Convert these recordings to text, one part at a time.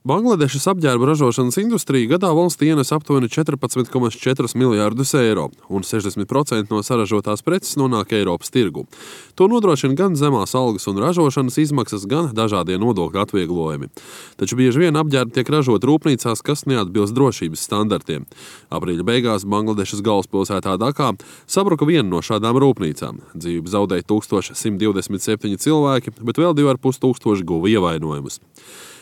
Bangladešas apģērba ražošanas industrija gadā valstī ienes aptuveni 14,4 miljārdus eiro, un 60% no saražotās preces nonāk Eiropas tirgu. To nodrošina gan zemās algas un ražošanas izmaksas, gan dažādie nodokļu atvieglojumi. Taču bieži vien apģērbi tiek ražot rūpnīcās, kas neatbilst drošības standartiem. Aprīļa beigās Bangladešas galvaspilsētā Dakā sabruka viena no šādām rūpnīcām. Dzīvību zaudēja 1127 cilvēki, bet vēl 2500 guva ievainojumus.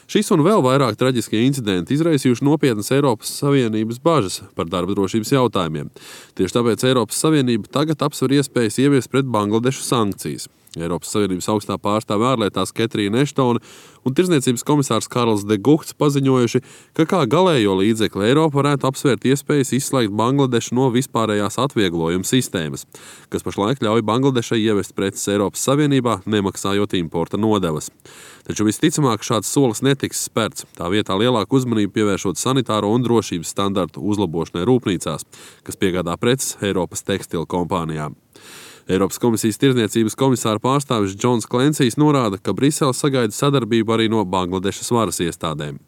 Šis un vēl vairāk traģiskie incidenti izraisījuši nopietnas Eiropas Savienības bažas par darba drošības jautājumiem. Tieši tāpēc Eiropas Savienība tagad apsver iespējas ieviest pret Bangladešu sankcijas. Eiropas Savienības augstā pārstāve ārlietās Ketrīna Eštone un tirdzniecības komisārs Karls de Guhts paziņojuši, ka kā galējo līdzekli Eiropa varētu apsvērt iespējas izslēgt Bangladešu no vispārējās atvieglojuma sistēmas, kas pašlaik ļauj Bangladešai ievest preces Eiropas Savienībā, nemaksājot importa nodevas. Taču visticamāk šāds solis netiks spērts, tā vietā lielāku uzmanību pievēršot sanitāro un drošības standartu uzlabošanai rūpnīcās, kas piegādā preces Eiropas tekstilu kompānijām. Eiropas komisijas tirdzniecības komisāra pārstāvis Džons Klensijs norāda, ka Brisele sagaida sadarbību arī no Bangladešas varas iestādēm.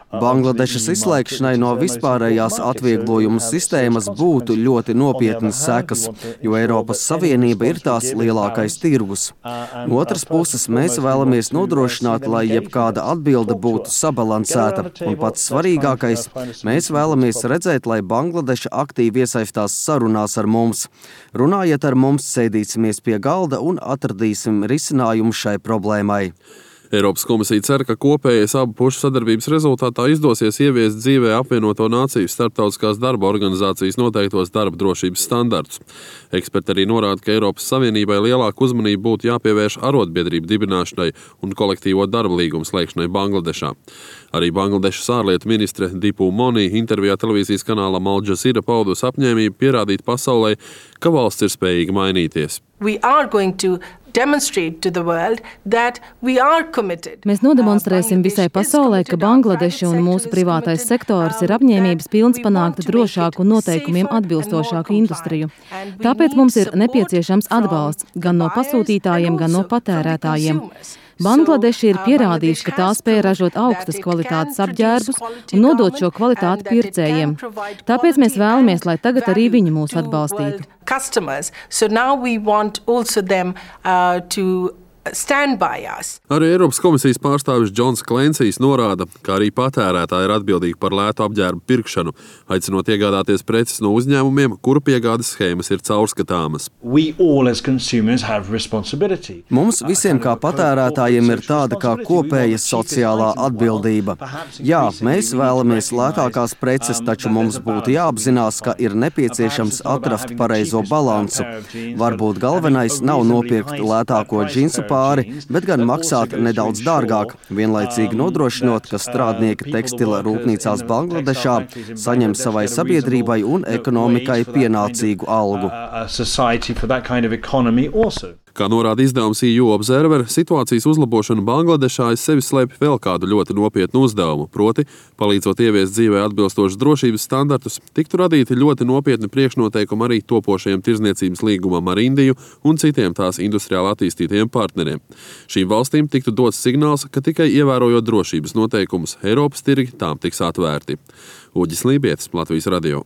Bangladešas izslēgšanai no vispārējās atvieglojuma sistēmas būtu ļoti nopietnas sekas, jo Eiropas Savienība ir tās lielākais tirgus. No otras puses, mēs vēlamies nodrošināt, lai jebkāda atbilde būtu sabalansēta, un pats svarīgākais, mēs vēlamies redzēt, lai Bangladeša aktīvi iesaistās sarunās ar mums. Runājiet ar mums, sēdīsimies pie galda un atradīsim risinājumu šai problēmai. Eiropas komisija cer, ka kopējais abu pušu sadarbības rezultātā izdosies ieviest dzīvē apvienoto nāciju starptautiskās darba organizācijas noteiktos darba drošības standartus. Eksperti arī norāda, ka Eiropas Savienībai lielāku uzmanību būtu jāpievērš arotbiedrību dibināšanai un kolektīvo darba līgumu slēgšanai Bangladešā. Arī Bangladešas ārlietu ministre Dipu Moni intervijā televīzijas kanālam Al Jazeera paudusi apņēmību pierādīt pasaulē, ka valsts ir spējīga mainīties. Mēs nodemonstrēsim visai pasaulē, ka Bangladeša un mūsu privātais sektors ir apņēmības pilns panākt drošāku un noteikumiem atbilstošāku industriju. Tāpēc mums ir nepieciešams atbalsts gan no pasūtītājiem, gan no patērētājiem. Bangladeša ir pierādījuši, ka tā spēj ražot augstas kvalitātes apģērbus un nodot šo kvalitāti pircējiem. Tāpēc mēs vēlamies, lai tagad arī viņi mūs atbalstītu. Arī Eiropas komisijas pārstāvis Džons Klensijs norāda, ka arī patērētāji ir atbildīgi par lētu apģērbu pirkšanu, aicinot iegādāties preces no uzņēmumiem, kuru piegādes schēmas ir caurskatāmas. Mums visiem kā patērētājiem ir tāda kā kopēja sociālā atbildība. Jā, mēs vēlamies lētākās preces, taču mums būtu jāapzinās, ka ir nepieciešams atrast pareizo balansu. Varbūt galvenais nav nopirkt lētāko džinsu pāri, bet gan maksāt nedaudz dārgāk, vienlaicīgi nodrošinot, ka strādnieki tekstila rūpnīcās Bangladešā saņem savai sabiedrībai un ekonomikai pienācīgu algu. Kā norāda izdevums EU Observer, situācijas uzlabošana Bangladešā aiz sevis slēpj vēl kādu ļoti nopietnu uzdevumu, proti, palīdzot ieviest dzīvē atbilstošus drošības standartus, tiktu radīti ļoti nopietni priekšnoteikumi arī topošajiem tirdzniecības līgumam ar Indiju un citiem tās industriāli attīstītajiem partneriem. Šīm valstīm tiktu dots signāls, ka tikai ievērojot drošības noteikumus, Eiropas tirgi tām tiks atvērti. Uģis Lībietis, Latvijas radio.